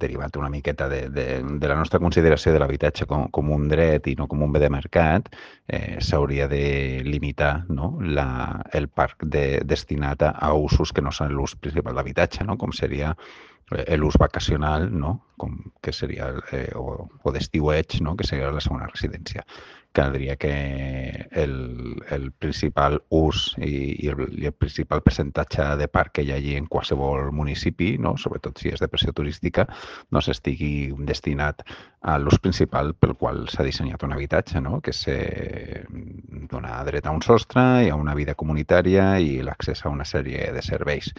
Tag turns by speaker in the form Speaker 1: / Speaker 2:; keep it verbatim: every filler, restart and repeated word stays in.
Speaker 1: derivat una miqueta de, de, de la nostra consideració de l'habitatge com, com un dret i no com un bé de mercat, eh, s'hauria de limitar, no? la, el parc de, destinat a, a usos que no són l'ús principal d'habitatge, no? Com seria l'ús vacacional, no? Com que seria, eh, o, o d'estiueig, no? Que seria la segona residència. Caldria que el, el principal ús i, i, el, i el principal percentatge de parc que hi hagi en qualsevol municipi, no? Sobretot si és de pressió turística, no s'estigui destinat a l'ús principal pel qual s'ha dissenyat un habitatge, no? Que és eh, donar dret a un sostre i a una vida comunitària i l'accés a una sèrie de serveis.